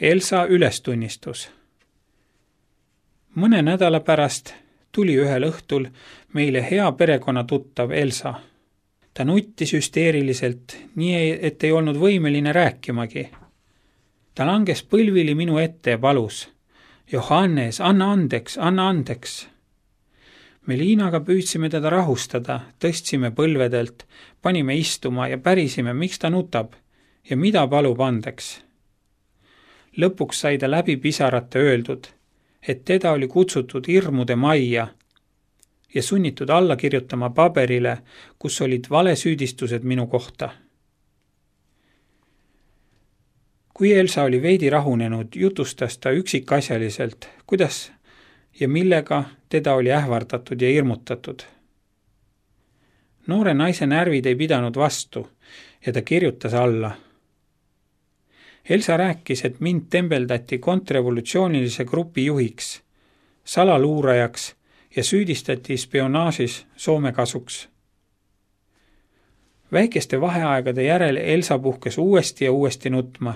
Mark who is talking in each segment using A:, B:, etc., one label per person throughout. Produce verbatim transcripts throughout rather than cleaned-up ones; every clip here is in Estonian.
A: Elsa ülestunnistus. Mõne nädala pärast tuli ühel õhtul meile hea perekonna tuttav Elsa. Ta nuttis hüsteeriliselt, nii et ei olnud võimeline rääkimagi. Ta langes põlvili minu ette ja palus: Johannes, anna andeks, anna andeks. Me Liinaga püüdsime teda rahustada, tõstsime põlvedelt, panime istuma ja pärisime, miks ta nutab ja mida palub andeks. Lõpuks sai ta läbi pisarate öeldud, et teda oli kutsutud hirmude majja ja sunnitud alla kirjutama paberile, kus olid valesüüdistused minu kohta. Kui Elsa oli veidi rahunenud, jutustas ta üksikasjaliselt, kuidas ja millega teda oli ähvardatud ja hirmutatud. Noore naise närvid ei pidanud vastu ja ta kirjutas alla. Elsa rääkis, et mind tembeldati kontrrevolutsioonilise grupi juhiks, salaluurajaks ja süüdistati spionaažis Soome kasuks. Väikeste vaheaegade järel Elsa puhkes uuesti ja uuesti nutma.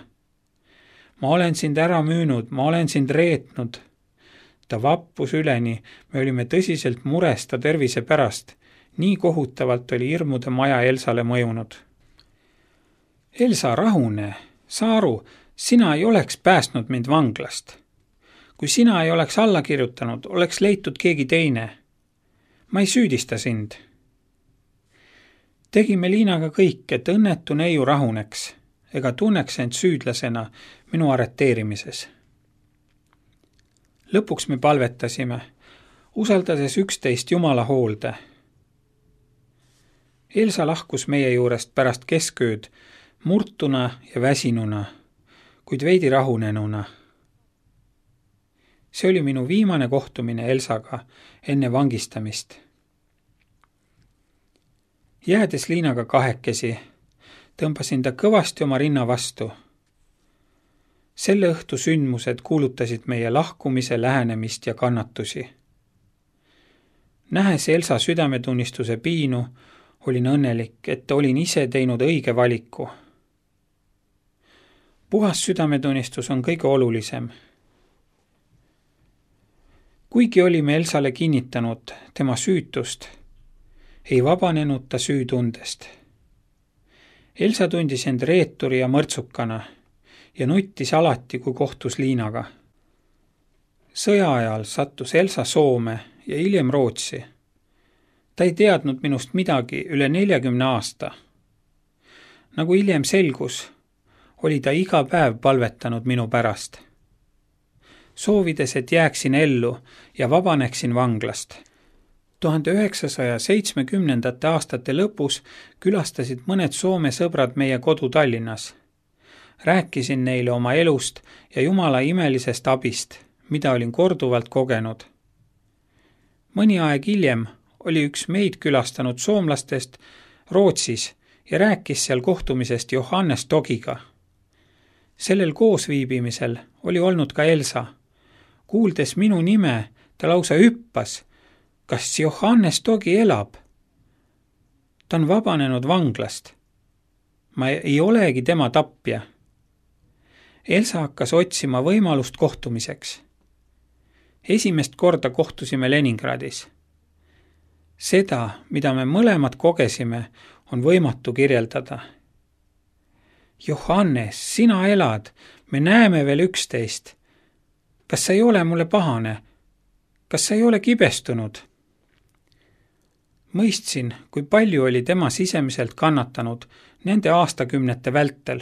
A: Ma olen sind ära müünud, ma olen sind reetnud. Ta vappus üleni, me olime tõsiselt mures ta tervise pärast, nii kohutavalt oli hirmude maja Elsale mõjunud. Elsa, rahune, saa aru, sina ei oleks päästnud mind vanglast. Kui sina ei oleks alla kirjutanud, oleks leitud keegi teine. Ma ei süüdista sind. Tegime Liinaga kõik, et õnnetu neiu rahuneks ega tunneks end süüdlasena minu arreteerimises. Lõpuks me palvetasime, usaldades üksteist Jumala hoolde. Elsa lahkus meie juurest pärast keskööd, murtuna ja väsinuna, kuid veidi rahunenuna. See oli minu viimane kohtumine Elsaga enne vangistamist. Jäädes Liinaga kahekesi, tõmbasin ta kõvasti oma rinna vastu. Selle õhtu sündmused kuulutasid meie lahkumise lähenemist ja kannatusi. Nähes Elsa südametunnistuse piinu, olin õnnelik, et olin ise teinud õige valiku. Puhas südametunnistus on kõige olulisem. Kuigi olime Elsale kinnitanud tema süütust, ei vabanenud ta süütundest. Elsa tundis end reeturi ja mõrtsukana ja nuttis alati, kui kohtus Liinaga. Sõja ajal sattus Elsa Soome ja hiljem Rootsi. Ta ei teadnud minust midagi üle neljakümne aasta. Nagu hiljem selgus, oli ta iga päev palvetanud minu pärast. Soovides, et jääksin ellu ja vabaneksin vanglast. tuhande üheksasaja seitsmekümnendate aastate lõpus külastasid mõned Soome sõbrad meie kodu Tallinnas. Rääkisin neile oma elust ja Jumala imelisest abist, mida olin korduvalt kogenud. Mõni aeg hiljem oli üks meid külastanud soomlastest Rootsis ja rääkis seal kohtumisest Johannes Togiga. Sellel koosviibimisel oli olnud ka Elsa. Kuuldes minu nime, ta lausa hüppas. Kas Johannes Togi elab? Ta on vabanenud vanglast. Ma ei olegi tema tapja. Elsa hakkas otsima võimalust kohtumiseks. Esimest korda kohtusime Leningradis. Seda, mida me mõlemad kogesime, on võimatu kirjeldada. Johannes, sina elad, me näeme veel üksteist. Kas sa ei ole mulle pahane? Kas sa ei ole kibestunud? Mõistsin, kui palju oli tema sisemiselt kannatanud nende aastakümnete vältel.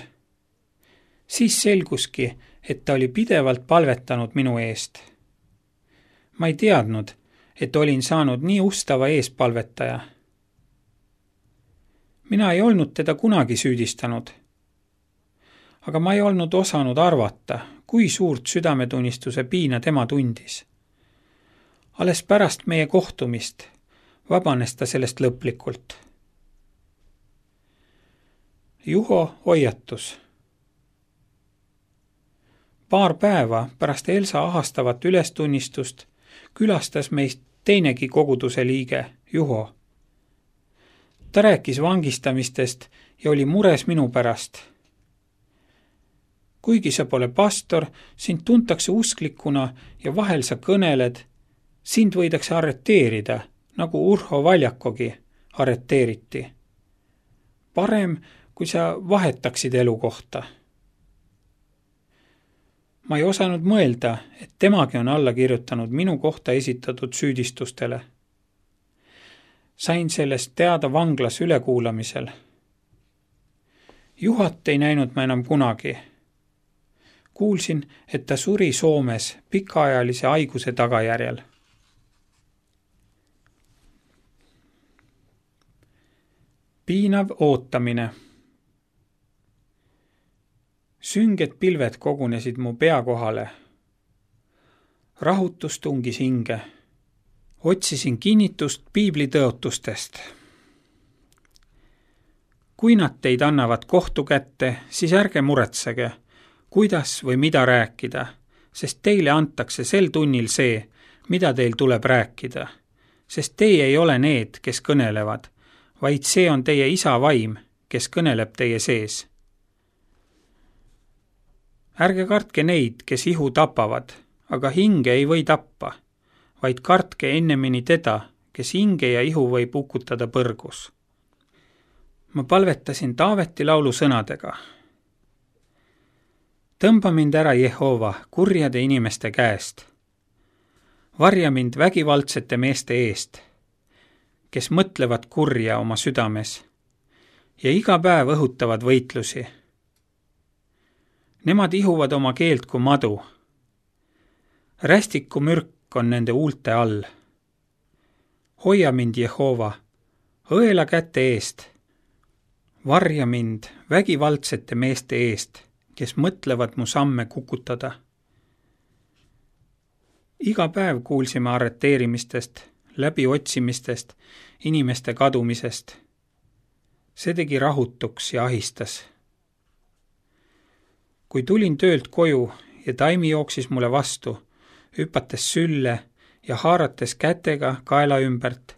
A: Siis selguski, et ta oli pidevalt palvetanud minu eest. Ma ei teadnud, et olin saanud nii ustava eespalvetaja. Mina ei olnud teda kunagi süüdistanud. Aga ma ei olnud osanud arvata, kui suurt südametunnistuse piina tema tundis. Alles pärast meie kohtumist vabanes ta sellest lõplikult. Juho hoiatus. Paar päeva pärast Elsa ahastavat ülestunnistust külastas meist teinegi koguduse liige, Juho. Ta rääkis vangistamistest ja oli mures minu pärast. kuigi sa pole pastor, sind tuntakse usklikuna ja vahel sa kõneled, sind võidakse arreteerida, nagu Urho Valjakogi arreteeriti. Parem, kui sa vahetaksid elukohta. Ma ei osanud mõelda, et temagi on alla kirjutanud minu kohta esitatud süüdistustele. Sain sellest teada vanglas ülekuulamisel. Juhat ei näinud ma enam kunagi. Kuulsin, et ta suri Soomes pikaajalise haiguse tagajärjel. Piinav ootamine. Sünged pilved kogunesid mu pea kohale. Rahutus tungis hinge. Otsisin kinnitust piibli tõotustest. Kui nad teid annavad kohtu kätte, siis ärge muretsege, kuidas või mida rääkida, sest teile antakse sel tunnil see, mida teil tuleb rääkida, sest teie ei ole need, kes kõnelevad, vaid see on teie isa vaim, kes kõneleb teie sees. Ärge kartke neid, kes ihu tapavad, aga hinge ei või tappa, vaid kartke ennemini teda, kes hinge ja ihu võib ukutada põrgus. Ma palvetasin Taaveti laulu sõnadega. Tõmba mind ära, Jehova, kurjade inimeste käest. Varja mind vägivaldsete meeste eest, kes mõtlevad kurja oma südames ja iga päev õhutavad võitlusi. Nemad ihuvad oma keelt kui madu. Rästiku mürk on nende huulte all. Hoia mind, Jehova, õela käte eest. Varja mind vägivaldsete meeste eest, kes mõtlevad mu samme kukutada. Iga päev kuulsime arreteerimistest, läbiotsimistest, inimeste kadumisest. See tegi rahutuks ja ahistas. Kui tulin töölt koju ja Taimi jooksis mulle vastu, hüpates sülle ja haarates kätega kaela ümbert,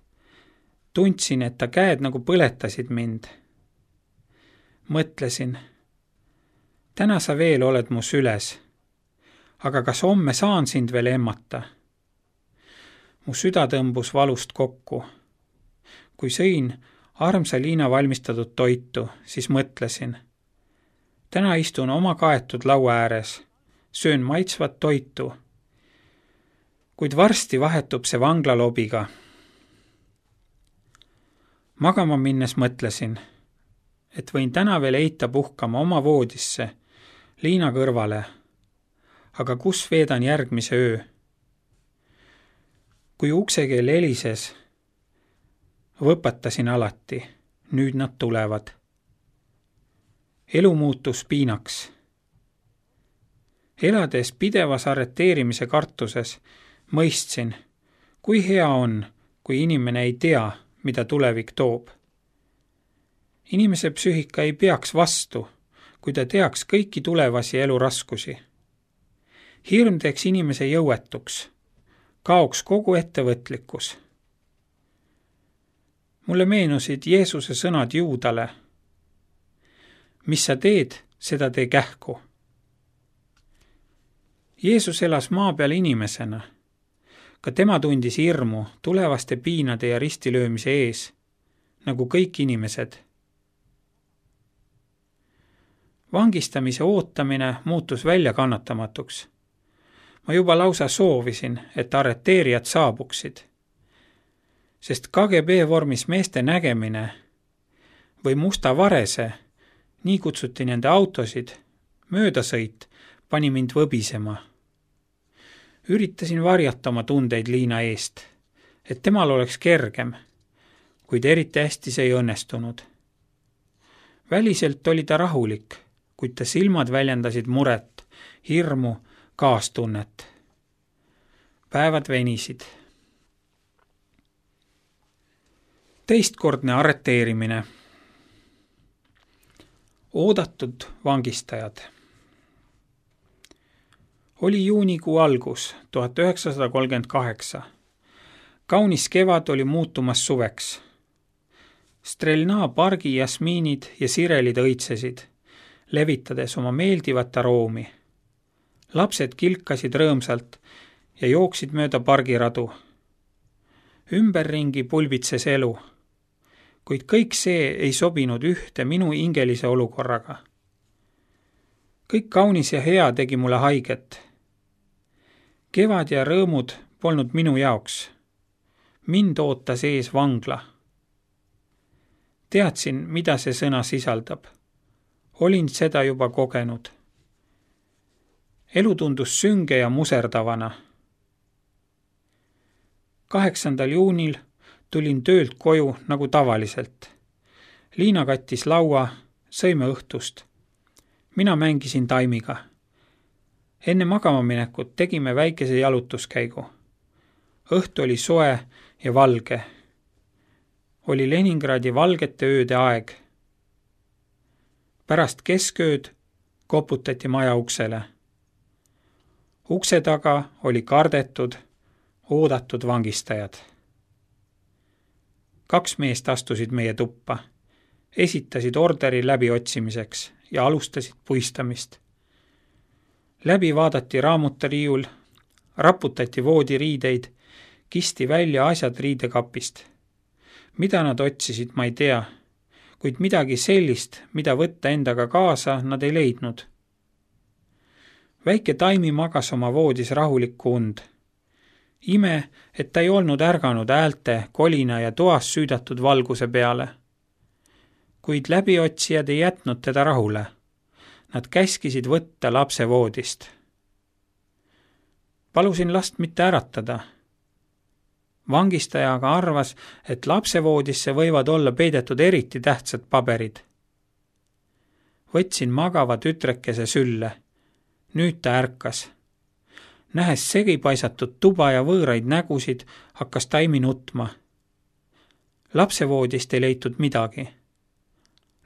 A: tundsin, et ta käed nagu põletasid mind. Mõtlesin, täna sa veel oled mu süles, aga kas homme saan sind veel emmata? Mu süda tõmbus valust kokku. Kui sõin armsa Liina valmistatud toitu, siis mõtlesin, täna istun oma kaetud laua ääres, söön maitsvat toitu, kuid varsti vahetub see vanglalobiga. Magama minnes mõtlesin, et võin täna veel heita puhkama oma voodisse, Liina kõrvale, aga kus veedan järgmise öö? Kui uksekeel helises, võpatasin alati, nüüd nad tulevad. Elu muutus piinaks. Elades pidevas arreteerimise kartuses, mõistsin, kui hea on, kui inimene ei tea, mida tulevik toob. Inimese psüühika ei peaks vastu, kui ta teaks kõiki tulevasi eluraskusi. Hirm teeks inimese jõuetuks, kaoks kogu ettevõtlikkus. Mulle meenusid Jeesuse sõnad Juudale. Mis sa teed, seda tee kähku. Jeesus elas maa peal inimesena. Ka tema tundis hirmu tulevaste piinade ja ristilöömise ees, nagu kõik inimesed. Vangistamise ootamine muutus välja kannatamatuks. Ma juba lausa soovisin, et arreteerijad saabuksid, sest K G B vormis meeste nägemine või musta varese, nii kutsuti nende autosid, möödasõit pani mind võbisema. Üritasin varjata oma tundeid Liina eest, et temal oleks kergem, kuid eriti hästi see ei õnnestunud. Väliselt oli ta rahulik, kuid ta silmad väljendasid muret, hirmu, kaastunnet. Päevad venisid. Teistkordne arreteerimine. Oodatud vangistajad. Oli juunikuu algus, tuhat üheksasada kolmkümmend kaheksa. Kaunis kevad oli muutumas suveks. Strelna pargi jasmiinid ja sirelid õitsesid. levitades oma meeldivat aroomi. Lapsed kilkasid rõõmsalt ja jooksid mööda pargiradu. Ümberringi pulbitses elu, kuid kõik see ei sobinud ühte minu hingelise olukorraga. Kõik kaunis ja hea tegi mulle haiget. Kevad ja rõõmud polnud minu jaoks. Mind ootas ees vangla. Teadsin, mida see sõna sisaldab. Olin seda juba kogenud. Elu tundus sünge ja muserdavana. kaheksandal juunil tulin töölt koju nagu tavaliselt. Liina kattis laua, sõime õhtust. Mina mängisin Taimiga. Enne magama minekut tegime väikese jalutuskäigu. Õhtu oli soe ja valge. Oli Leningradi valgete ööde aeg. Pärast keskööd koputati maja uksele. Ukse taga oli kardetud, oodatud vangistajad. Kaks meest astusid meie tuppa, esitasid orderi läbiotsimiseks ja alustasid puistamist. Läbi vaadati raamutariiul, raputati voodiriideid, kisti välja asjad riidekapist. Mida nad otsisid, ma ei tea, kuid midagi sellist, mida võtta endaga kaasa, nad ei leidnud. Väike Taimi magas oma voodis rahulikku und. Ime, et ta ei olnud ärganud häälte, kolina ja toas süüdatud valguse peale. Kuid läbiotsijad ei jätnud teda rahule. Nad käskisid võtta lapse voodist. Palusin last mitte äratada. Vangistaja aga arvas, et lapsevoodisse võivad olla peidetud eriti tähtsad paberid. Võtsin magava tütrekese sülle. Nüüd ta ärkas. Nähes segipaisatud tuba ja võõraid nägusid, hakkas Taimi nutma. Lapsevoodist ei leitud midagi.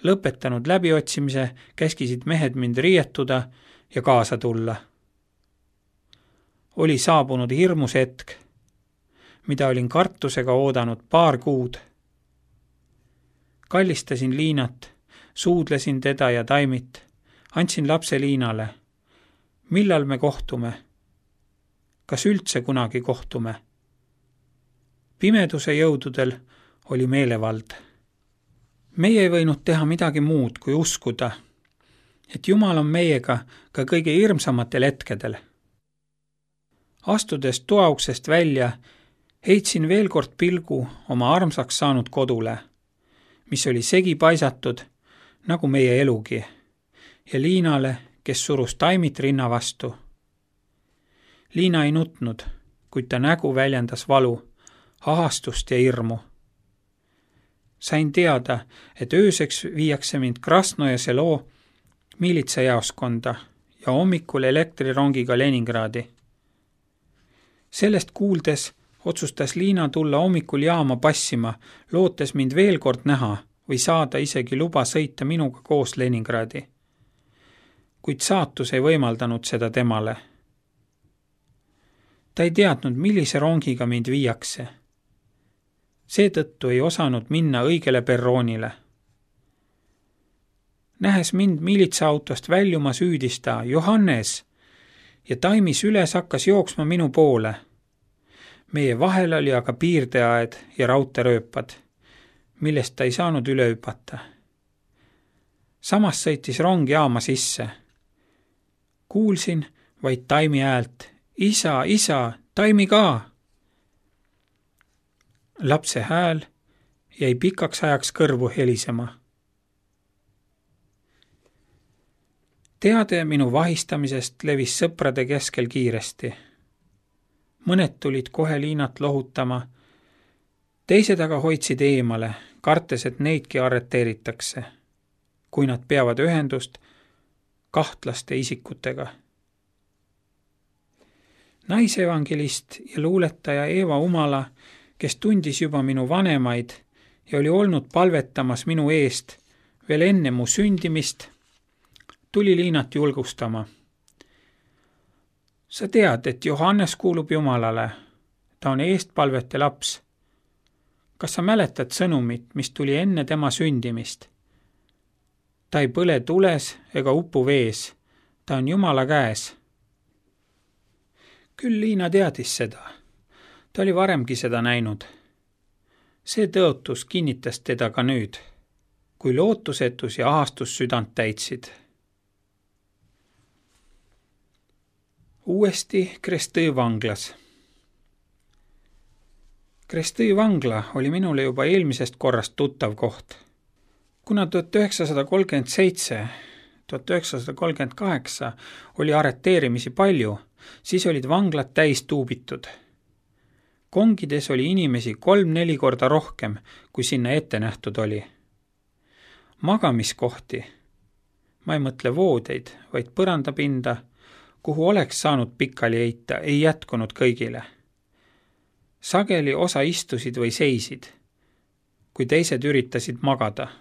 A: Lõpetanud läbiotsimise käskisid mehed mind riietuda ja kaasa tulla. Oli saabunud hirmus hetk, mida olin kartusega oodanud paar kuud. Kallistasin Liinat, suudlesin teda ja Taimit, andsin lapse Liinale. Millal me kohtume? Kas üldse kunagi kohtume? Pimeduse jõududel oli meelevald. Meie ei võinud teha midagi muud kui uskuda, et Jumal on meiega ka kõige hirmsamatel hetkedel. Astudes toauksest välja, heitsin veel kord pilgu oma armsaks saanud kodule, mis oli segi paisatud, nagu meie elugi, ja Liinale, kes surus Taimit rinna vastu. Liina ei nutnud, kuid ta nägu väljendas valu, ahastust ja hirmu. Sain teada, et ööseks viiakse mind Krasnoja selo miilitsajaoskonda ja hommikul elektrirongiga Leningradi. Sellest kuuldes otsustas Liina tulla hommikul jaama passima, lootes mind veel kord näha või saada isegi luba sõita minuga koos Leningradi. Kuid saatus ei võimaldanud seda temale. Ta ei teadnud, millise rongiga mind viiakse. Seetõttu ei osanud minna õigele perroonile. Nähes mind miilitsaautost väljuma süüdista Johannes ja Taimis üles hakkas jooksma minu poole. Meie vahel oli aga piirdeaed ja raudteerööpad, millest ta ei saanud üle hüpata. Samas sõitis rong jaama sisse. Kuulsin vaid Taimi häält. Isa, isa, Taimi ka! Lapse hääl jäi pikaks ajaks kõrvu helisema. Teade minu vahistamisest levis sõprade keskel kiiresti. Mõned tulid kohe Liinat lohutama, teised aga hoidsid eemale, kartes, et neidki arreteeritakse, kui nad peavad ühendust kahtlaste isikutega. Naisevangelist ja luuletaja Eeva Umala, kes tundis juba minu vanemaid ja oli olnud palvetamas minu eest veel enne mu sündimist, tuli Liinat julgustama. Sa tead, et Johannes kuulub Jumalale. Ta on eestpalvete laps. Kas sa mäletad sõnumit, mis tuli enne tema sündimist? Ta ei põle tules ega upu vees. Ta on Jumala käes. Küll Liina teadis seda. Ta oli varemgi seda näinud. See tõotus kinnitas teda ka nüüd, kui lootusetus ja ahastus südant täitsid. Uuesti Krestõi vanglas. Krestõi vangla oli minule juba eelmisest korrast tuttav koht. Kuna tuhat üheksasada kolmkümmend seitse, tuhat üheksasada kolmkümmend kaheksa oli arreteerimisi palju, siis olid vanglad täis tuubitud. Kongides oli inimesi kolm-neli korda rohkem, kui sinna ette nähtud oli. Magamiskohti, ma ei mõtle voodeid, vaid põrandapinda, kuhu oleks saanud pikali heita, ei jätkunud kõigile. Sageli osa istusid või seisid, kui teised üritasid magada.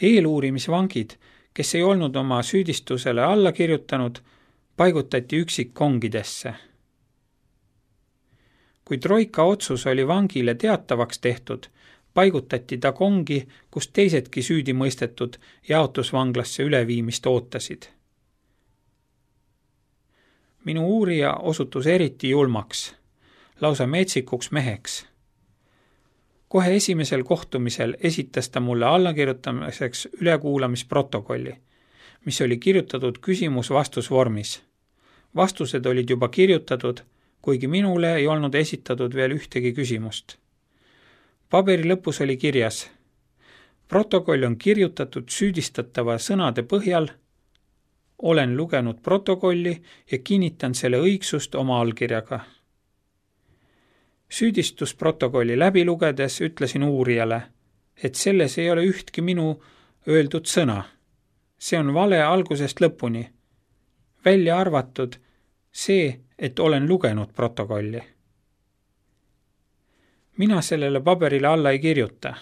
A: Eeluurimisvangid, kes ei olnud oma süüdistusele alla kirjutanud, paigutati üksik kongidesse. Kui troika otsus oli vangile teatavaks tehtud, paigutati ta kongi, kus teisedki süüdi mõistetud jaotusvanglasse üleviimist ootasid. Minu uurija osutus eriti julmaks, lausa metsikuks meheks. Kohe esimesel kohtumisel esitas ta mulle allakirjutamiseks ülekuulamisprotokolli, mis oli kirjutatud küsimus-vastusvormis. Vastused olid juba kirjutatud, kuigi minule ei olnud esitatud veel ühtegi küsimust. Paberi lõpus oli kirjas: protokoll on kirjutatud süüdistatava sõnade põhjal, olen lugenud protokolli ja kinnitan selle õigsust oma allkirjaga. Süüdistusprotokolli läbi lugedes ütlesin uurijale, et selles ei ole ühtki minu öeldud sõna. See on vale algusest lõpuni. Välja arvatud see, et olen lugenud protokolli. Mina sellele paberile alla ei kirjuta.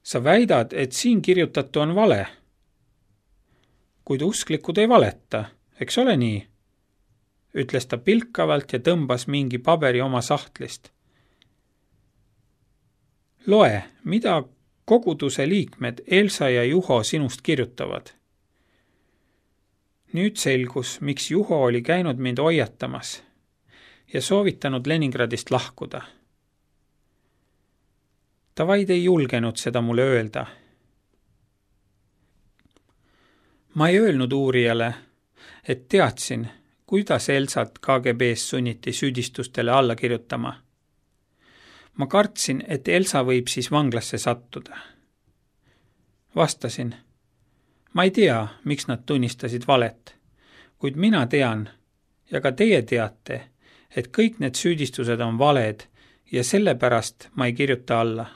A: Sa väidad, et siin kirjutatu on vale. Kuid usklikud ei valeta, eks ole nii? Ütles ta pilkavalt ja tõmbas mingi paberi oma sahtlist. Loe, mida koguduse liikmed Elsa ja Juho sinust kirjutavad. Nüüd selgus, miks Juho oli käinud mind hoiatamas ja soovitanud Leningradist lahkuda. Ta vaid ei julgenud seda mulle öelda. Ma ei öelnud uurijale, et teadsin, kuidas Elsat K G B-s sunniti süüdistustele alla kirjutama. Ma kartsin, et Elsa võib siis vanglasse sattuda. Vastasin, ma ei tea, miks nad tunnistasid valet, kuid mina tean ja ka teie teate, et kõik need süüdistused on valed ja sellepärast ma ei kirjuta alla.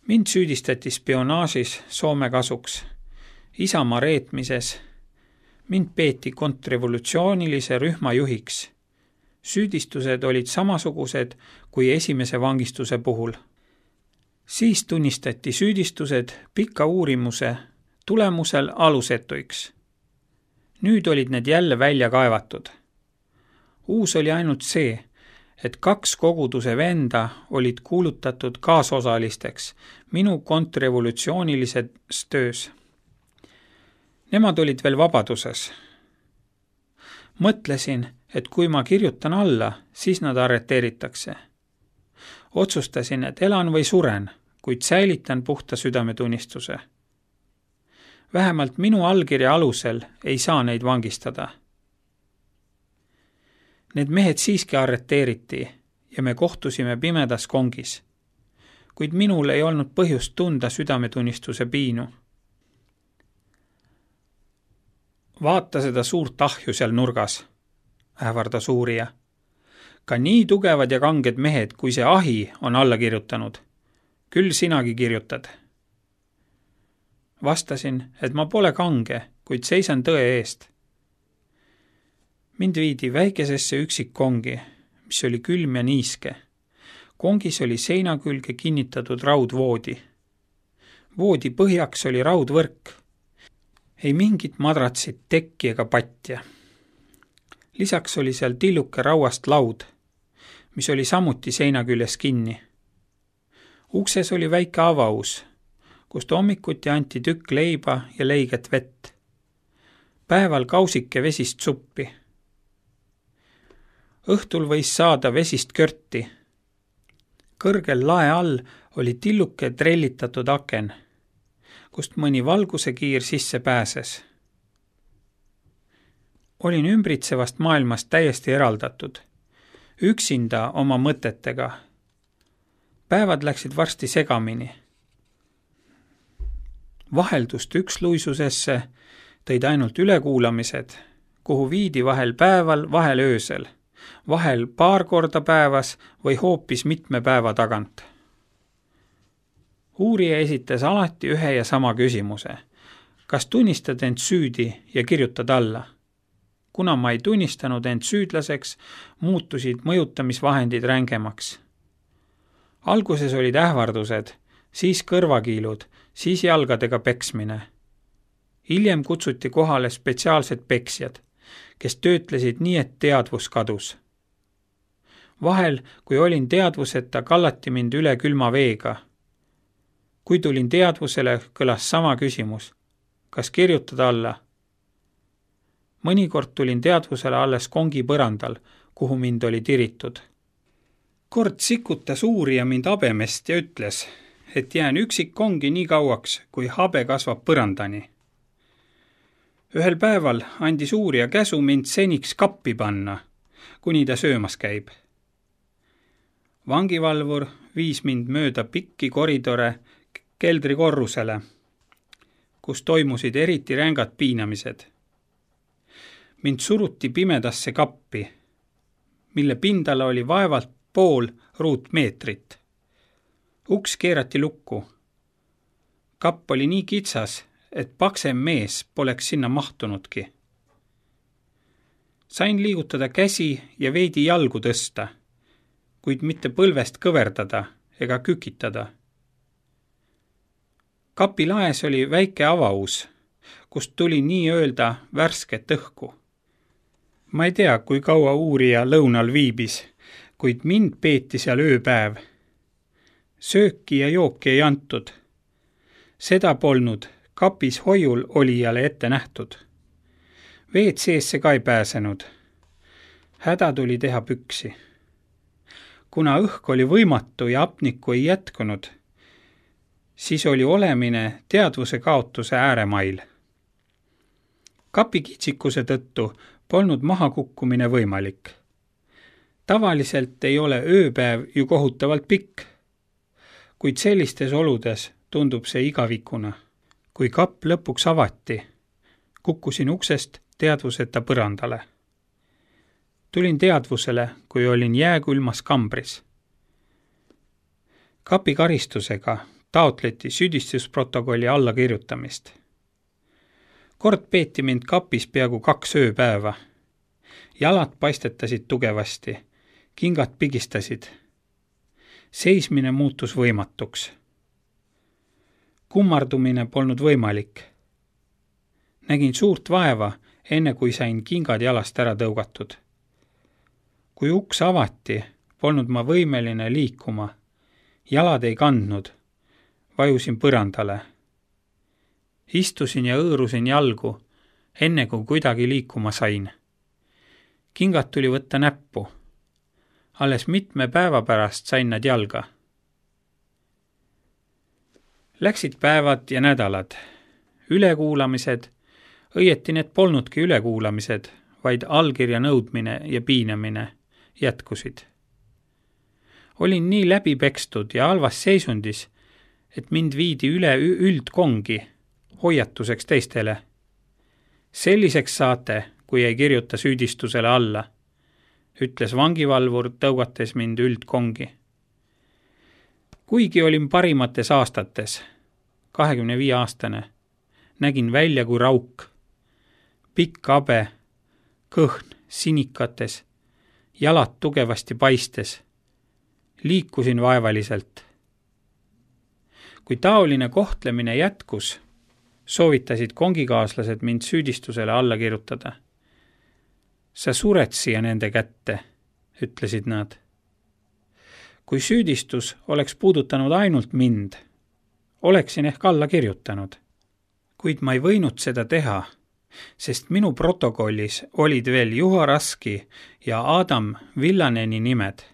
A: Mind süüdistati spionaažis Soome kasuks, Isamaa reetmises, mind peeti kontrrevolutsioonilise rühma juhiks. Süüdistused olid samasugused kui esimese vangistuse puhul. Siis tunnistati süüdistused pika uurimuse tulemusel alusetuiks. Nüüd olid need jälle välja kaevatud. Uus oli ainult see, et kaks koguduse venda olid kuulutatud kaasosalisteks minu kontrrevolutsioonilises töös. Nemad olid veel vabaduses. Mõtlesin, et kui ma kirjutan alla, siis nad arreteeritakse. Otsustasin, et elan või suren, kuid säilitan puhta südametunnistuse. Vähemalt minu allkirja alusel ei saa neid vangistada. Need mehed siiski arreteeriti ja me kohtusime pimedas kongis, kuid minul ei olnud põhjust tunda südametunnistuse piinu. Vaata seda suurt ahju seal nurgas, ähvardas uurija. Ka nii tugevad ja kanged mehed, kui see ahi on alla kirjutanud. Küll sinagi kirjutad. Vastasin, et ma pole kange, kuid seisan tõe eest. Mind viidi väikesesse üksikkongi, mis oli külm ja niiske. Kongis oli seina külge kinnitatud raudvoodi. Voodi põhjaks oli raudvõrk. Ei mingit madratsit, tekki ega patja. Lisaks oli seal tilluke rauast laud, mis oli samuti seina küljes kinni. Ukses oli väike avaus, kust hommikuti anti tükk leiba ja leiget vett. Päeval kausike vesist suppi. Õhtul võis saada vesist körti. Kõrgel lae all oli tilluke trellitatud aken, kust mõni valguse kiir sisse pääses. Olin ümbritsevast maailmast täiesti eraldatud, üksinda oma mõtetega. Päevad läksid varsti segamini. Vaheldust üksluisusesse tõid ainult ülekuulamised, kuhu viidi vahel päeval, vahel öösel, vahel paar korda päevas või hoopis mitme päeva tagant. Uurija esitas alati ühe ja sama küsimuse. Kas tunnistad end süüdi ja kirjutad alla? Kuna ma ei tunnistanud end süüdlaseks, muutusid mõjutamisvahendid rängemaks. Alguses olid ähvardused, siis kõrvakiilud, siis jalgadega peksmine. Hiljem kutsuti kohale spetsiaalsed peksjad, kes töötlesid nii, et teadvus kadus. Vahel, kui olin teadvuseta, kallati mind üle külma veega. Kui tulin teadvusele, kõlas sama küsimus. Kas kirjutada alla? Mõnikord tulin teadvusele alles kongi põrandal, kuhu mind oli tiritud. Kord sikutas uurija mind habemest ja ütles, et jään üksik kongi nii kauaks, kui habe kasvab põrandani. Ühel päeval andis uurija käsu mind seniks kappi panna, kuni ta söömas käib. Vangivalvur viis mind mööda pikki koridore keldrikorrusele, kus toimusid eriti rängad piinamised. Mind suruti pimedasse kappi, mille pindala oli vaevalt pool ruutmeetrit. Uks keerati lukku. Kapp oli nii kitsas, et paksem mees poleks sinna mahtunudki. Sain liigutada käsi ja veidi jalgu tõsta, kuid mitte põlvest kõverdada ega kükitada. Kapi laes oli väike avaus, kust tuli nii öelda värsket õhku. Ma ei tea, kui kaua uurija lõunal viibis, kuid mind peeti seal ööpäev. Sööki ja jooki ei antud. Seda polnud kapis hoiul olijale ette nähtud. Veed seesse ka ei pääsenud. Häda tuli teha püksi. Kuna õhk oli võimatu ja apnikku ei jätkunud, siis oli olemine teadvuse kaotuse ääremail. Kapi kitsikuse tõttu polnud mahakukkumine võimalik. Tavaliselt ei ole ööpäev ju kohutavalt pikk, kuid sellistes oludes tundub see igavikuna. Kui kapp lõpuks avati, kukkusin uksest teadvuseta põrandale. Tulin teadvusele, kui olin jääkülmas kambris. Kapi karistusega taotleti süüdistusprotokolli allakirjutamist. Kord peeti mind kapis peaaegu kaks ööpäeva. Jalad paistetasid tugevasti, kingad pigistasid. Seismine muutus võimatuks. Kummardumine polnud võimalik. Nägin suurt vaeva, enne kui sain kingad jalast ära tõugatud. Kui uks avati, polnud ma võimeline liikuma. Jalad ei kandnud. Vajusin põrandale. Istusin ja õõrusin jalgu, enne kui kuidagi liikuma sain. Kingad tuli võtta näppu. Alles mitme päeva pärast sain nad jalga. Läksid päevad ja nädalad. Ülekuulamised, õieti need polnudki ülekuulamised, vaid allkirja nõudmine ja piinamine jätkusid. Olin nii läbipekstud ja halvas seisundis, et mind viidi üle üldkongi, hoiatuseks teistele. Selliseks saate, kui ei kirjuta süüdistusele alla, ütles vangivalvur, tõugates mind üldkongi. Kuigi olin parimates aastates, kahekümne viie aastane, nägin välja kui rauk. Pikk habe, kõhn, sinikates, jalad tugevasti paistes. Liikusin vaevaliselt. Kui taoline kohtlemine jätkus, soovitasid kongikaaslased mind süüdistusele alla kirjutada. Sa sured siia nende kätte, ütlesid nad. kui süüdistus oleks puudutanud ainult mind, oleksin ehk alla kirjutanud. Kuid ma ei võinud seda teha, sest minu protokollis olid veel Juha Raski ja Adam Villaneni nimed.